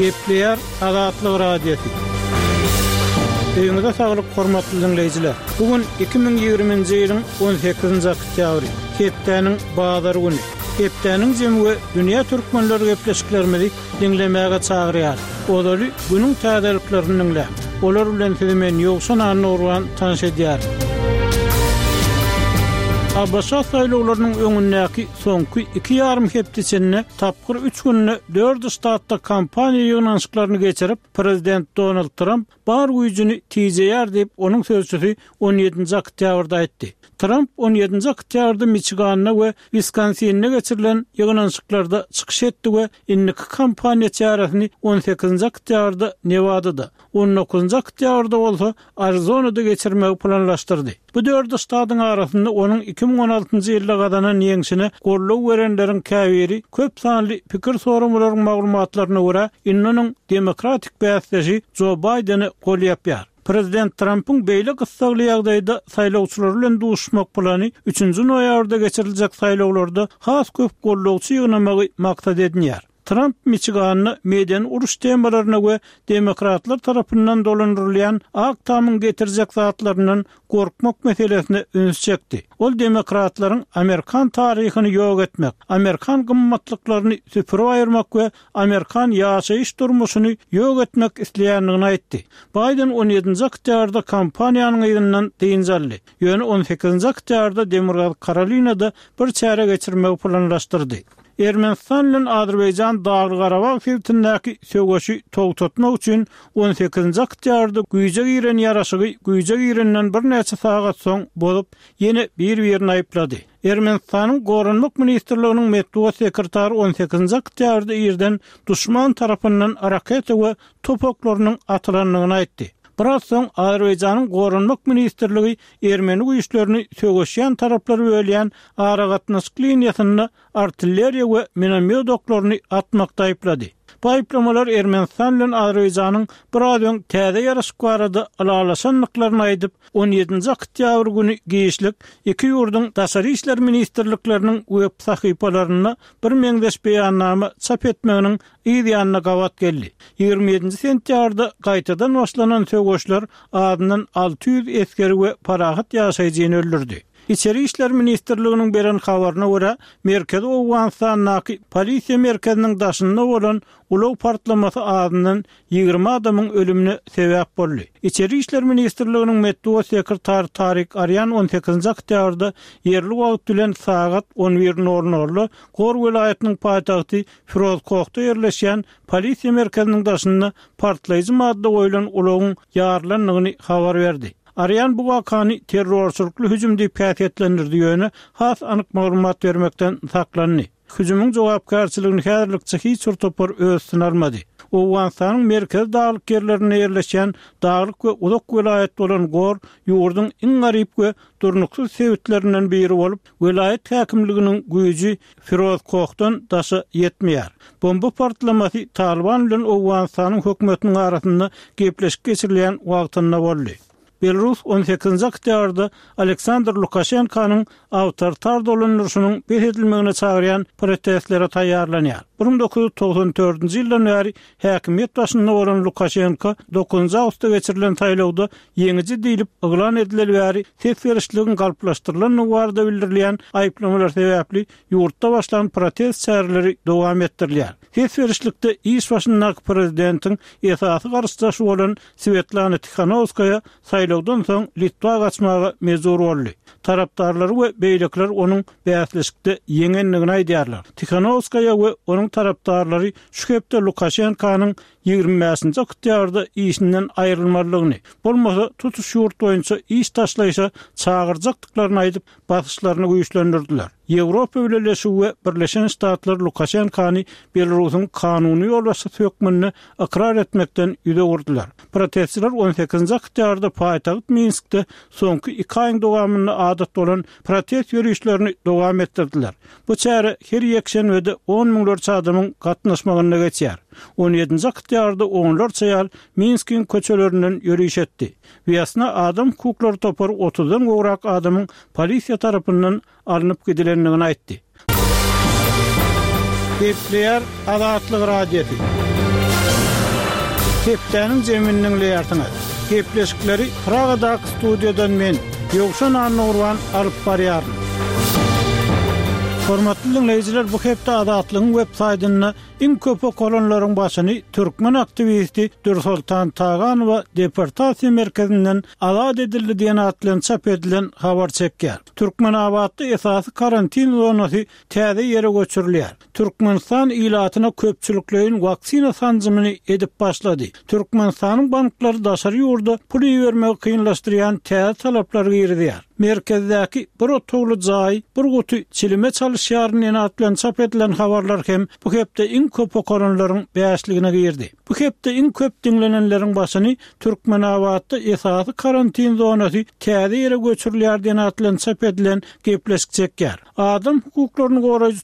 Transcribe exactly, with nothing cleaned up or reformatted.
Gepleýär Azatlyk Radiosy. Öýüňize saglyk, hormatly diňleýjiler. Bu gün iki müň ýigriminji ýylyň on sekizinji oktýabry, hepdäniň bazar güni. Hepdäniň jemi we dünýä türkmenleri gepleşiklerimizi diňlemäge çagyrýar. Ozaly günüň täzeliklerini diňläň. Olar bilen sizi men Ýowşan Annagurban tanyş edýärin. A B Ş saýlawlarynyň öňündäki soňky iki ýarym hepde içinde tapgyr üç günde dört ştatda kampaniýa ýygnanyşyklaryny geçirip, prezident Donald Tramp bar güýjüni tijeýär diýip, onuň sözçüsi on ýedinji oktýabrda aýtdy. Tramp on ýedinji oktýabrda Miçiganda we Wiskonsinde geçirilen ýygnanyşyklarda çykyş etdi we indiki kampaniýa çäresini on sekizinji oktýabrda Newadada, on dokuzynjy oktýabrda bolsa Arizonada geçirmegi planlaşdyrdy. Bu dört ştatyň arasynda onuň iki müň on altynjy ýylda gazanan ýeňşine goldaw berenleriň käbiri köp sanly pikir soramalaryň maglumatlaryna görä, indi onuň demokratik bäsdeşi Jo Baýdeni gol ýapýar. Prezident Trumpyň beýle gyssagly ýagdaýda saýlawçylar bilen duşmak plany üçünji noýabrda geçiriljek saýlawlarda has köp goldawçy ýygnamagy maksat edinýär. Trump Miçiganda medeni uruş temalaryna we demokratlar tarapyndan dolandyrylýan Ak Tamyň getirjek zatlaryndan gorkmak meselesine üns çekdi. Ol demokratlaryň Amerikan taryhyny ýok etmek, Amerikan gymmatlyklaryny süpürip aýyrmak we Amerikan ýaşaýyş durmuşyny ýok etmek isleýändigini aýtdy. Biden on ýedinji oktýabrda kampaniýanyň yzyndan dynç aldy. Ýöne on sekizinji oktýabrda Demirgazyk Karolinada bir çäre geçirmegi planlaşdyrdy. Ermenistan bilen Azerbaýjan Dagly-Garabag sebitindäki söweşi togtatmak üçin on sekizinji oktýabrda güýje giren ýaraşygy güýje girenden birnäçe sagat soň bozup, ýene bir-birini aýyplady. Ermenistanyň Goranmak ministrliginiň metbugat sekretary on sekizinji oktýabrda irden duşman tarapyndan raketa we top oklarynyň atylandygyny aýtdy. Biraz soň Azerbaýjanyň Goranmak ministrligi ermeni güýçlerini söweşýän taraplary bölýän aragatnaşyk liniýasynda artilleriýa we minomýot oklaryny atmakda aýyplady. Bu aýyplamalar Ermenistan bilen Azerbaýjanyň biraz öň täze ýaraşyk barada ylalaşandyklaryny aýdyp, on ýedinji oktýabr güni giçlik iki ýurduň Daşary işler ministrlikleriniň web sahypalarynda bir meňzeş beýannama çap etmeginiň yz ýanyna gabat geldi. Ýigrimi ýedinji sentýabrda gaýtadan başlanan söweşler azyndan alty ýüz esgeri we parahat ýaşaýjyny öldürdi. Içeri işler ministrliginiň beren habaryna görä, Merkezi Owganystandaky polisiýa merkeziniň daşynda bolan ulag partlamasy azyndan ýigrimi adamyň ölümine sebäp boldy. Içeri işler ministrliginiň metbugat sekretary Tarik Arýan on sekizinji oktýabrda ýerli wagt bilen sagat on bir nol nolda Gor welaýatynyň paýtagty Firozkohda ýerleşýän polisiýa merkeziniň daşynda partlaýjy madda goýlan ulagyň ýarylandygyny habar berdi. Arýan bu wakany terrorçylykly hüjüm diýip häsiýetlendirdi, ýöne has anyk maglumat bermekden saklandy. Hüjümiň jogapkärçiligini häzirlikçe hiç bir topar öz üstüne almady. Owganystanyň merkezi daglyk ýerlerinde ýerleşýän daglyk we uzak welaýat bolan Gor ýurduň iň garyp we durnuksyz sebitlerinden biri bolup, welaýat häkimliginiň güýji Firozkohdan daşa ýetmeýär. Bomba partlamasy Taliban bilen Owganystanyň hökümetiniň arasynda gepleşik geçirilýän wagtynda boldy. Belarus on sekizinji oktýabrda Aleksandr Lukaşenkanyň awtoritar dolandyryşynyň bes edilmegine çagyrýan protestlere taýýarlanýar. Bir müň dokuz ýüz togsan dördünji ýyldan bäri häkimiýet başynda bolan Lukaşenko dokuzynjy awgustda geçirilen saýlawda ýeňiji diýlip yglan edileli bäri ses berişligiň galplaşdyrylandygy barada bildirilýän aýyplamalar sebäpli ýurtda başlan protest çäreleri dowam etdirilýär. Ses berişlikde iş başyndaky prezidentiň esasy garşydaşy bolan Swetlana Tikhanowskaýa saýlawdan soň Litwa gaçmaga mejbur boldy. Tarapdarlary we beýlekiler onuň bäsleşikde ýeňendigini aýdýarlar. Tikhanowskaýa we onuň tarapdarlary şu hepde Lukaşenkanyň ýigrimi bäşinji oktýabrda işinden aýrylmalydygyny, bolmasa tutuş ýurt boýunça iş taşlaýşa çagyrjakdyklaryny aýdyp, basyşlaryny güýçlendirdiler. Ýewropa Bileleşigi we Birleşen Ştatlar Lukaşenkany Belarusyň kanuny ýolbaşçysy hökmünde ykrar etmekden ýüz öwürdiler. Protestçiler on sekizinji oktýabrda paýtagt Minskde soňky iki aýyň dowamynda adat bolan protest ýörişlerini dowam etdirdiler. Bu çäre her ýekşenbede on müňlerçe adamyň gatnaşmagynda geçýär. On ýedinji oktýabrda onlarça ýaly Minskiň köçelerinden ýöriş etdi. Wýasna adam hukuklary topary otuzdan gowrak adamyň polisiýa tarapyndan alnyp gidilendigini aýtdy. Gepleýär Azatlyk Radiosy. Hepdäniň jemini diňleýärsiňiz. Gepleşikleri Pragadaky studiýadan men, Ýowşan Annagurban alyp barýaryn. Hormatly diňleýjiler, bu hepde Azatlygyň web saýtynda iň köp okalanlaryň başyny türkmen aktiwisti Dürsoltan Taganowa deportasiýa merkezinden azat edildi diýen at bilen çap edilen habar çekýär. Türkmenabatda esasy karantin zonasy täze ýere göçürilýär. Türkmenistan ilatyna köpçülikleýin waksina sanjymyny edip başlady. Türkmenistanyň banklary daşary ýurda pul ibermegi kynlaşdyrýan täze talaplary girizýär. Merkezdäki bir otagly jaýy bir guty çilime çalyşýaryn diýen at bilen çap edilen habarlar hem bu hepde iň köp okalanlaryň bäşligine girdi. Bu hepde iň köp diňlenenleriň başyny Türkmenabatda esasy karantin zonasy täze ýere göçürilýär diýen at bilen çap edilen gepleşik çekýär. Adam hukuklaryny goraýjy